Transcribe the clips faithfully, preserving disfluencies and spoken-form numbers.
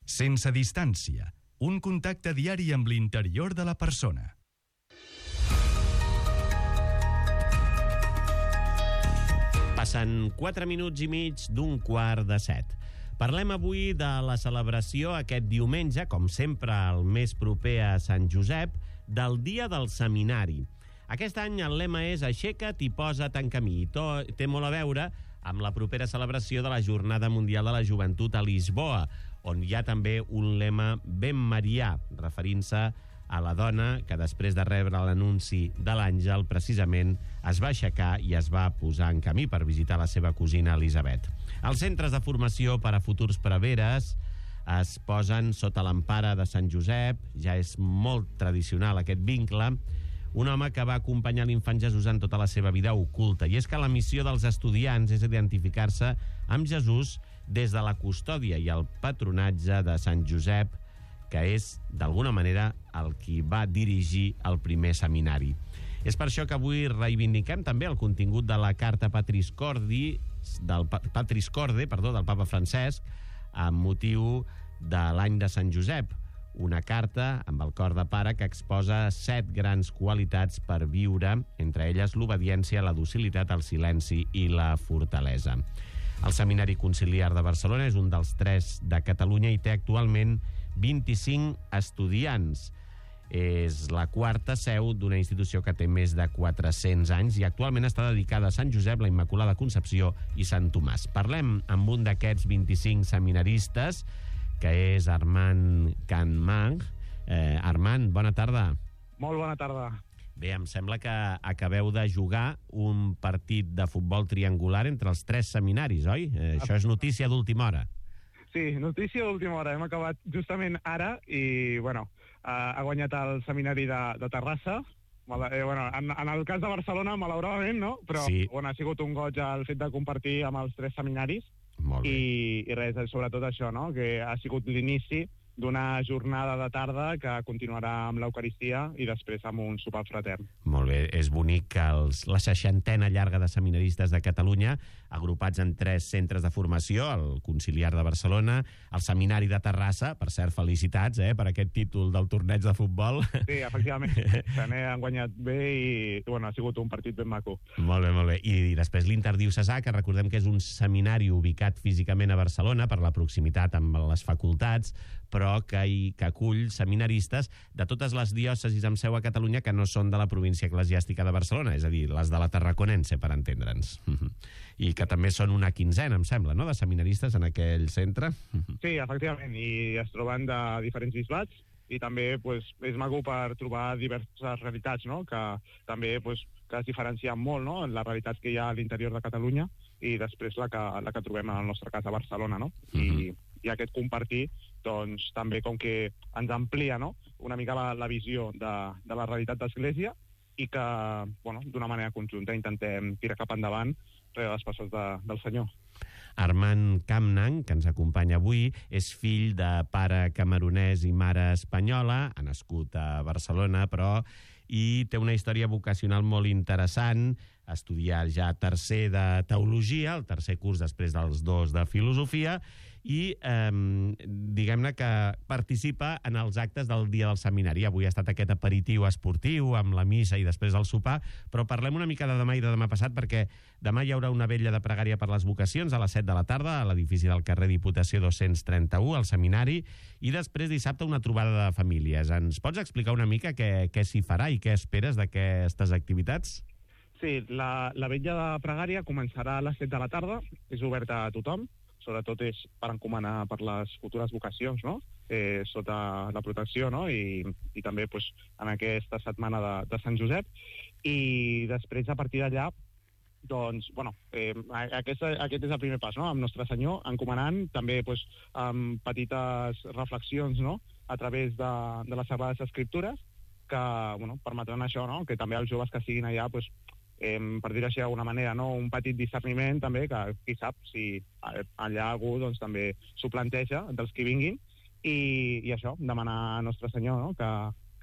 Sense distància, un contacte diari amb l'interior de la persona. Passen quatre minuts i mig d'un quart de set. Parlem avui de la celebració aquest diumenge, com sempre el més proper a Sant Josep, del Dia del Seminari. Aquest any el lema és Aixeca't i posa't en camí. I to, té molt a veure amb la propera celebració de la Jornada Mundial de la Joventut a Lisboa, on hi ha també un lema ben marià, referint-se a la dona que després de rebre l'anunci de l'àngel precisament es va aixecar i es va posar en camí per visitar la seva cosina Elisabet. Els centres de formació per a futurs preveres es posen sota l'empara de Sant Josep, ja és molt tradicional aquest vincle, un home que va acompanyar l'infant Jesús en tota la seva vida oculta. I és que la missió dels estudiants és identificar-se amb Jesús des de la custòdia i el patronatge de Sant Josep, que és, d'alguna manera, el qui va dirigir el primer seminari. És per això que avui reivindiquem també el contingut de la carta Patris Cordi, del Patris Corde, perdó, del papa Francesc, amb motiu de l'any de Sant Josep, una carta amb el cor de pare que exposa set grans qualitats per viure, entre elles l'obediència, la docilitat, el silenci i la fortalesa. El Seminari Conciliar de Barcelona és un dels tres de Catalunya i té actualment vint-i-cinc estudiants. És la quarta seu d'una institució que té més de quatre-cents anys i actualment està dedicada a Sant Josep, la Immaculada Concepció i Sant Tomàs. Parlem amb un d'aquests vint-i-cinc seminaristes, que és Armand Canmang. Eh, Armand, bona tarda. Molt bona tarda. Bé, em sembla que acabeu de jugar un partit de futbol triangular entre els tres seminaris, oi? Eh, això és notícia d'última hora. Sí, notícia d'última hora. Hem acabat justament ara i, bueno, ha guanyat el seminari de, de Terrassa. Eh, bueno, en, en el cas de Barcelona, malauradament, no? Però sí. Bueno, ha sigut un goig el fet de compartir amb els tres seminaris. Molt bé. I, i res, sobretot això, no? Que ha sigut l'inici d'una jornada de tarda que continuarà amb l'Eucaristia i després amb un sopar fratern. Molt bé, és bonic que els, la seixantena llarga de seminaristes de Catalunya, agrupats en tres centres de formació, el Conciliar de Barcelona, el Seminari de Terrassa, per cert, felicitats eh, per aquest títol del torneig de futbol. Sí, efectivament, se n'han guanyat bé i bueno, ha sigut un partit ben maco. Molt bé, molt bé. I, i després l'Interdiocesà, que recordem que és un seminari ubicat físicament a Barcelona per la proximitat amb les facultats, però que, hi, que acull seminaristes de totes les diòcesis amb seu a Catalunya que no són de la província eclesiàstica de Barcelona, és a dir, les de la Tarraconense, per entendre'ns. I que també són una quinzena, em sembla, no?, de seminaristes en aquell centre. Sí, efectivament, i es troben de diferents bisbats i també pues, és maco per trobar diverses realitats, no?, que també pues, que es diferencien molt, no?, en les realitats que hi ha a l'interior de Catalunya i després la que, la que trobem en el nostre cas a Barcelona, no? Uh-huh. I, i aquest compartir doncs també com que ens amplia, no?, una mica la, la visió de, de la realitat d'Església i que, bueno, d'una manera conjunta intentem tirar cap endavant rere les passes de, del Senyor. Armand Canmang, que ens acompanya avui, és fill de pare camerunès i mare espanyola, ha nascut a Barcelona, però i té una història vocacional molt interessant, ha estudiat ja tercer de Teologia, el tercer curs després dels dos de Filosofia, i eh, diguem-ne que participa en els actes del dia del seminari. Avui ha estat aquest aperitiu esportiu amb la missa i després el sopar, però parlem una mica de demà i de demà passat, perquè demà hi haurà una vetlla de pregària per les vocacions a les set de la tarda a l'edifici del carrer Diputació dos-cents trenta-u, al seminari, i després dissabte una trobada de famílies. Ens pots explicar una mica què, què s'hi farà i què esperes d'aquestes activitats? Sí, la, la vetlla de pregària començarà a les set de la tarda, és oberta a tothom, sobretot és per encomanar per les futures vocacions, no?, eh, sota la protecció, no?, i, i també pues, en aquesta setmana de, de Sant Josep, i després a partir d'allà doncs, bueno, eh, aquest, aquest és el primer pas, no?, amb Nostre Senyor, encomanant també pues, amb petites reflexions, no?, a través de, de les Sagrades Escriptures, que bueno, permetran això, no?, que també els joves que siguin allà pues, Eh, per dir-ho així d'alguna manera, no? Un petit discerniment també, que qui sap si allà algú doncs, també s'ho planteja dels qui vinguin, i, i això, demanar a Nostre Senyor, no?, que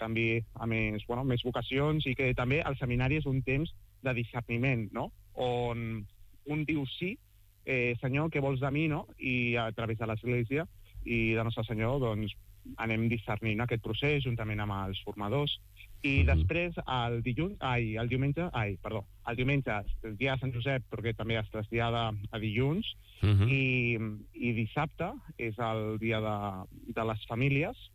canvi a més, bueno, més vocacions, i que també el seminari és un temps de discerniment, no?, on un diu sí, eh, Senyor, què vols de mi, no?, i a través de l'Església i de Nostre Senyor, doncs, anem discernint aquest procés juntament amb els formadors. I mm-hmm. després, el dilluns, ai, el diumenge, ai, perdó, el diumenge, el dia de Sant Josep, perquè també es trasllada a dilluns, mm-hmm. i, i dissabte és el dia de, de les famílies.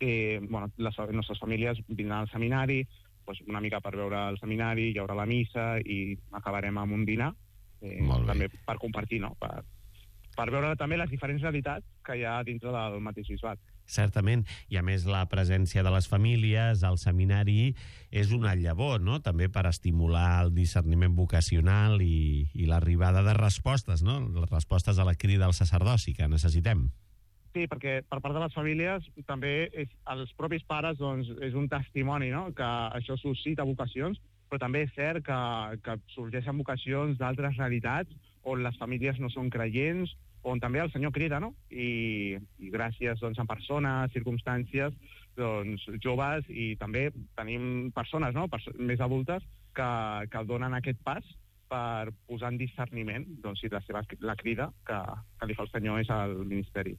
Eh, bueno, les nostres famílies vindran al seminari, doncs una mica per veure el seminari, hi haurà la missa i acabarem amb un dinar, eh, també per compartir, no?, per, per veure també les diferents realitats que hi ha dintre del mateix bisbat. Certament, i a més la presència de les famílies al seminari és una llavor, no?, també per estimular el discerniment vocacional i, i l'arribada de respostes, no?, les respostes a la crida al sacerdoci que necessitem. Sí, perquè per part de les famílies també és, els propis pares, doncs, és un testimoni, no?, que això suscita vocacions, però també és cert que, que sorgeixen vocacions d'altres realitats on les famílies no són creients, on també el Senyor crida, no? I, i gràcies, doncs, a persones, circumstàncies, doncs, joves, i també tenim persones, no?, Perso- més adultes que, que donen aquest pas per posar en discerniment, doncs, si la seva la crida que, que li fa el Senyor és al ministeri.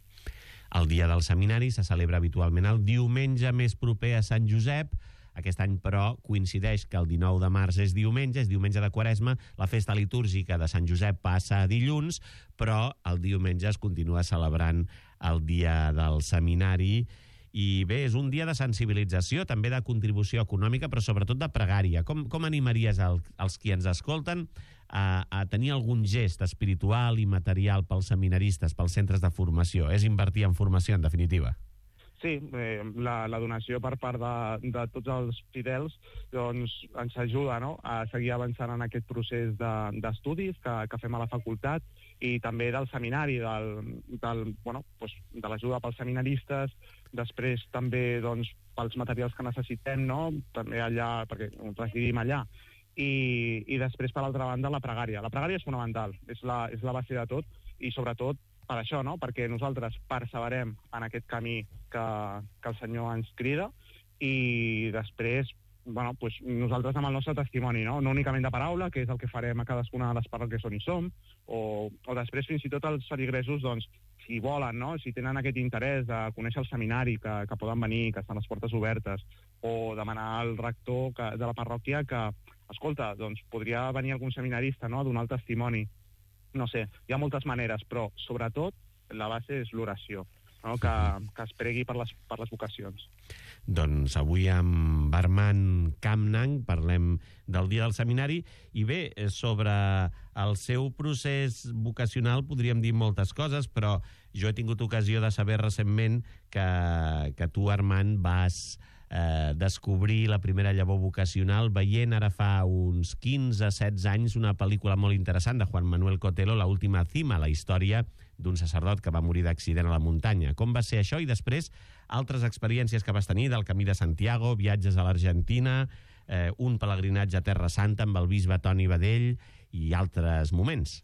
El dia del seminari se celebra habitualment el diumenge més proper a Sant Josep. Aquest any, però, coincideix que el dinou de març és diumenge, és diumenge de Quaresma, la festa litúrgica de Sant Josep passa a dilluns, però el diumenge es continua celebrant el dia del seminari. I bé, és un dia de sensibilització, també de contribució econòmica, però sobretot de pregària. Com, com animaries el, els qui ens escolten a, a tenir algun gest espiritual i material pels seminaristes, pels centres de formació? És invertir en formació, en definitiva. Sí, eh, la, la donació per part de, de tots els fidels doncs, ens ajuda, no?, a seguir avançant en aquest procés de, d'estudis que, que fem a la facultat, i també del seminari, del, del, bueno, doncs, de l'ajuda pels seminaristes, després també doncs, pels materials que necessitem, no?, també allà, perquè residim allà, i, i després, per altra banda, la pregària. La pregària és fonamental, és la, és la base de tot, i sobretot per això, no?, perquè nosaltres perseverem en aquest camí que, que el Senyor ens crida, i després, bueno, pues nosaltres amb el nostre testimoni, no?, no únicament de paraula, que és el que farem a cadascuna de les parròquies on hi som, o, o després fins i tot els feligresos, doncs, si volen, no?, si tenen aquest interès de conèixer el seminari, que, que poden venir, que estan les portes obertes, o demanar al rector que, de la parròquia que, escolta, doncs podria venir algun seminarista, no?, a donar el testimoni. No sé, hi ha moltes maneres, però sobretot la base és l'oració, no?, que, que es pregui per les, per les vocacions. Doncs avui amb Armand Campnang parlem del dia del seminari, i bé, sobre el seu procés vocacional podríem dir moltes coses, però jo he tingut ocasió de saber recentment que, que tu, Armand, vas eh, descobrir la primera llavor vocacional veient ara fa uns quinze setze anys una pel·lícula molt interessant de Juan Manuel Cotelo, La última cima, la història d'un sacerdot que va morir d'accident a la muntanya. Com va ser això? I després altres experiències que vas tenir del Camí de Santiago, viatges a l'Argentina, eh, un pelegrinatge a Terra Santa amb el bisbe Toni Badell i altres moments.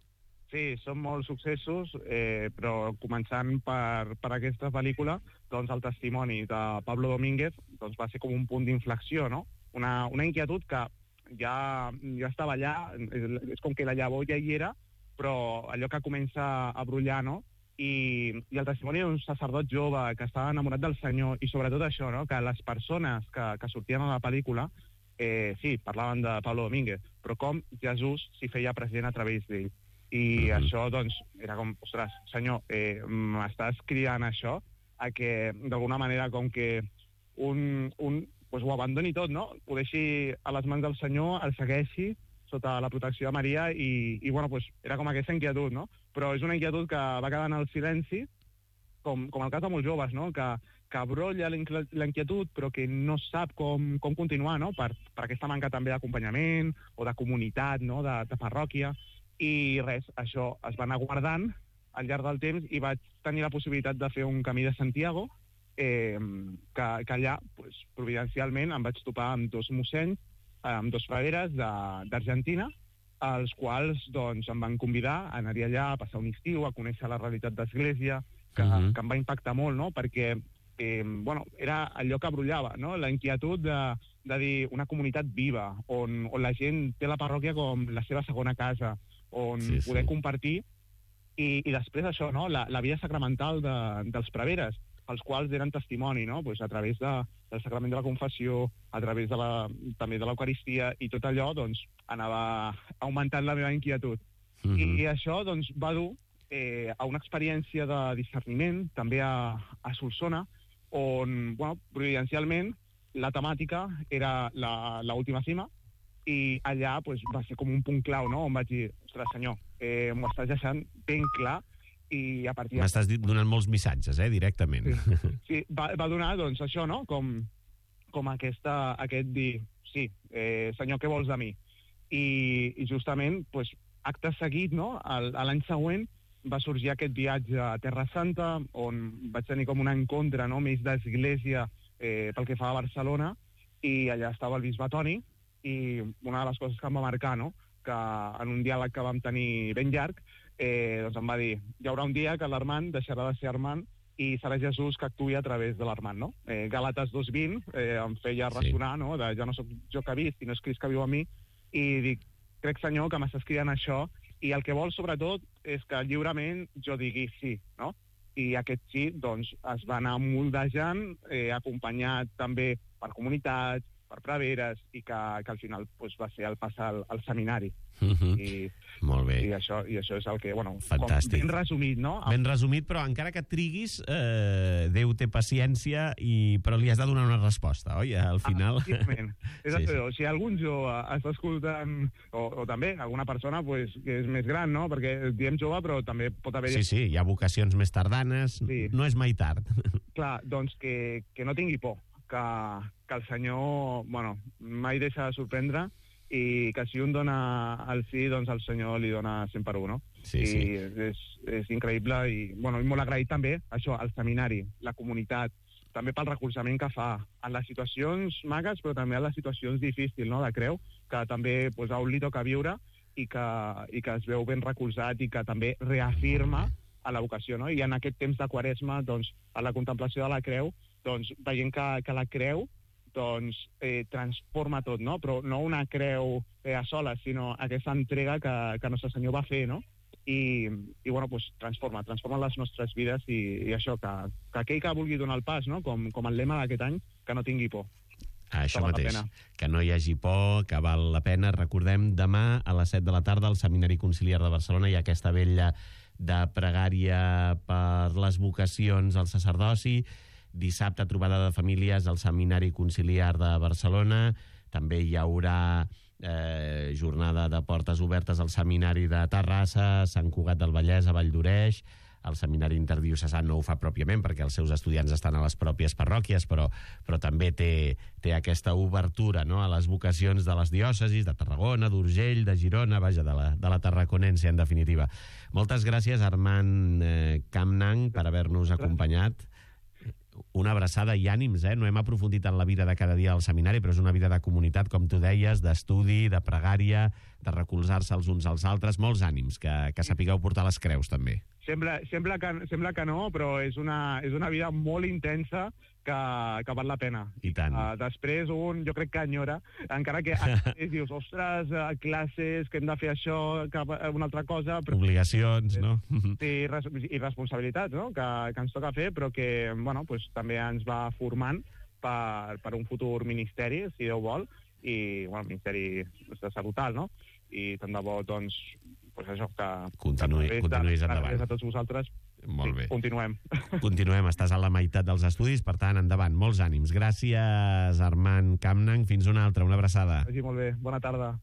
Sí, són molts successos, eh, però començant per, per aquesta pel·lícula, doncs el testimoni de Pablo Domínguez doncs va ser com un punt d'inflexió, no? Una, una inquietud que ja, ja estava allà, és, és com que la llavor ja hi era, però allò que comença a brollar, no? I, i el testimoni d'un sacerdot jove que estava enamorat del Senyor, i sobretot això, no?, que les persones que, que sortien a la pel·lícula, eh, sí, parlaven de Pablo Domínguez, però com Jesús s'hi feia present a través d'ell. I mm-hmm. això, doncs, era com, ostres, Senyor, eh, m'estàs cridant això a que, d'alguna manera, com que un, un pues, ho abandoni tot, no?, ho deixi a les mans del Senyor, el segueixi sota la protecció de Maria, i, i bueno, pues, era com aquesta inquietud, no? Però és una inquietud que va quedar en el silenci, com, com el cas de molts joves, no?, que, que brolla la inquietud, però que no sap com, com continuar, no?, per, per aquesta manca també d'acompanyament o de comunitat, no?, de, de parròquia. I res, això es va anar guardant al llarg del temps, i vaig tenir la possibilitat de fer un camí de Santiago, eh, que, que allà, pues, providencialment, em vaig topar amb dos mossenys, amb dos frares d'Argentina, els quals doncs, em van convidar a anar-hi allà, a passar un estiu, a conèixer la realitat d'Església, que, uh-huh. que em va impactar molt, no?, perquè eh, bueno, era allò que brollava, no?, la inquietud de, de dir una comunitat viva, on, on la gent té la parròquia com la seva segona casa, on sí, poder sí. compartir I, i després això, no? la, la vida sacramental de, dels preveres, els quals eren testimoni, no? Pues a través de, del sacrament de la confessió, a través de la, també de l'Eucaristia, i tot allò doncs, anava augmentant la meva inquietud. Mm-hmm. I, I això doncs, va dur eh, a una experiència de discerniment, també a, a Solsona, on, bueno, providencialment, la temàtica era l'última cima, i allà pues, va ser com un punt clau, no? On vaig dir, ostres, senyor, eh, m'ho estàs deixant ben clar, i a partir... M'estàs donant molts missatges, eh, directament. Sí, sí va, va donar, doncs, això, no?, com, com aquesta, aquest dir, sí, eh, senyor, què vols de mi? I, i justament, pues, acte seguit, no?, l'any següent va sorgir aquest viatge a Terra Santa, on vaig tenir com un encontre, no?, més d'església eh, pel que fa a Barcelona, i allà estava el bisbe Toni, i una de les coses que em va marcar, no?, que en un diàleg que vam tenir ben llarg, eh, doncs em va dir, hi haurà un dia que l'Armand deixarà de ser Armand i serà Jesús que actuï a través de l'Armand, no? Eh, Gàlates dos vint eh, em feia ressonar, sí. No?, de ja no sóc jo que visc, sinó és Crist que viu a mi, i dic, crec, Senyor, que m'estàs cridant això, i el que vol, sobretot, és que lliurement jo digui sí, no? I aquest sí, doncs, es va anar moldejant, eh, acompanyat també per comunitats, per preveres, i que, que al final pues, va ser el pas al, al seminari. Uh-huh. I, Molt bé. I això, I això és el que, bueno, fantàstic. Com ben resumit, no? Ben resumit, però encara que et triguis, eh, Déu té paciència, i, però li has de donar una resposta, oi? Al final... Ah, és sí, sí. Si algun jove està escoltant, o, o també alguna persona pues, que és més gran, no? Perquè diem jove, però també pot haver... Sí, sí, hi ha vocacions més tardanes, sí. No és mai tard. Clar, doncs que, que no tingui por, que, que el Senyor, bueno, mai deixa de sorprendre, i que si un dona el sí, doncs el Senyor li dona cent per un, no? Sí, I sí. és, és increïble, i, bueno, i molt agraït també, això, al seminari, la comunitat, també pel recolzament que fa en les situacions magues, però també en les situacions difícils, no?, de creu, que també pues, a un li toca viure, i que, i que es veu ben recolzat, i que també reafirma a la vocació, no? I en aquest temps de Quaresma, doncs, a la contemplació de la creu, doncs, veient que, que la creu doncs, eh, transforma tot, no? Però no una creu eh, a soles, sinó aquesta entrega que, que Nostre Senyor va fer, no? I, i bueno, pues, transforma, transforma les nostres vides, i, i això, que, que aquell que vulgui donar el pas, no?, com, com el lema d'aquest any, que no tingui por. Això mateix, que no hi hagi por, que val la pena. Recordem, demà a les set de la tarda al Seminari Conciliar de Barcelona hi ha aquesta vetlla de pregària per les vocacions al sacerdoci. Dissabte, trobada de famílies al Seminari Conciliar de Barcelona. També hi haurà eh, jornada de portes obertes al Seminari de Terrassa, Sant Cugat del Vallès, a Vall d'Oreix. El Seminari Interdiocesà no ho fa pròpiament perquè els seus estudiants estan a les pròpies parròquies, però, però també té, té aquesta obertura, no?, a les vocacions de les diòcesis de Tarragona, d'Urgell, de Girona, vaja, de la, de la tarraconense, en definitiva. Moltes gràcies, Armand eh, Camnang, per haver-nos acompanyat. Una abraçada i ànims, eh? No hem aprofundit en la vida de cada dia del seminari, però és una vida de comunitat, com tu deies, d'estudi, de pregària, de recolzar-se els uns als altres. Molts ànims, que, que sapigueu portar les creus, també. Sembla, sembla, que, sembla que no, però és una, és una vida molt intensa que, que val la pena. I tant. Uh, després un, jo crec que enyora, encara que dius, ostres, uh, classes, que hem de fer això, que una altra cosa... Però, obligacions, eh, no? Sí, i responsabilitats, no?, que, que ens toca fer, però que, bueno, pues, també ens va formant per, per un futur ministeri, si Déu vol, i, bueno, ministeri de salutal, no? I tant de bo, doncs, pues això, que... Continuï, que continuïs endavant. Gràcies a tots vosaltres. Molt bé. Sí, continuem. Continuem, estàs a la meitat dels estudis, per tant, endavant, molts ànims. Gràcies, Armand Camnang. Fins una altra, una abraçada. Vagi molt bé, bona tarda.